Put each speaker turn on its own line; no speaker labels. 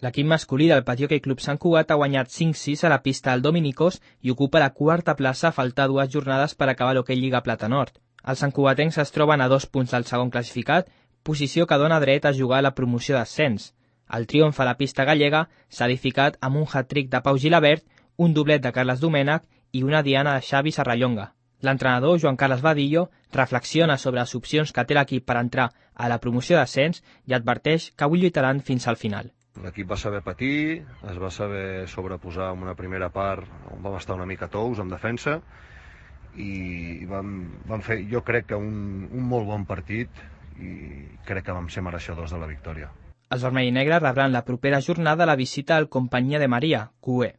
L'equip masculí del Patí Hoquei Club Sant Cugat ha guanyat 5-6 a la pista del Dominicós i ocupa la quarta plaça a faltar 2 jornades per acabar l'Hoquei Lliga Plata Nord. Els santcugatencs es troben a 2 punts del segon classificat, posició que dona dret a jugar a la promoció d'ascens. El triomf a la pista gallega s'ha edificat amb un hat-trick de Pau Gilabert, un doblet de Carles Domènech i una diana de Xavi Serrallonga. L'entrenador, Joan Carles Badillo, reflexiona sobre les opcions que té l'equip per entrar a la promoció d'ascens i adverteix que avui lluitaran fins al final.
L'equip va saber patir, es va saber sobreposar en una primera part on vam estar una mica tous en defensa i vam fer, jo crec que un molt bon partit i crec que vam ser mereixedors de la victòria.
Els vermell i negres rebran la propera jornada la visita al Companyia de Maria, QE.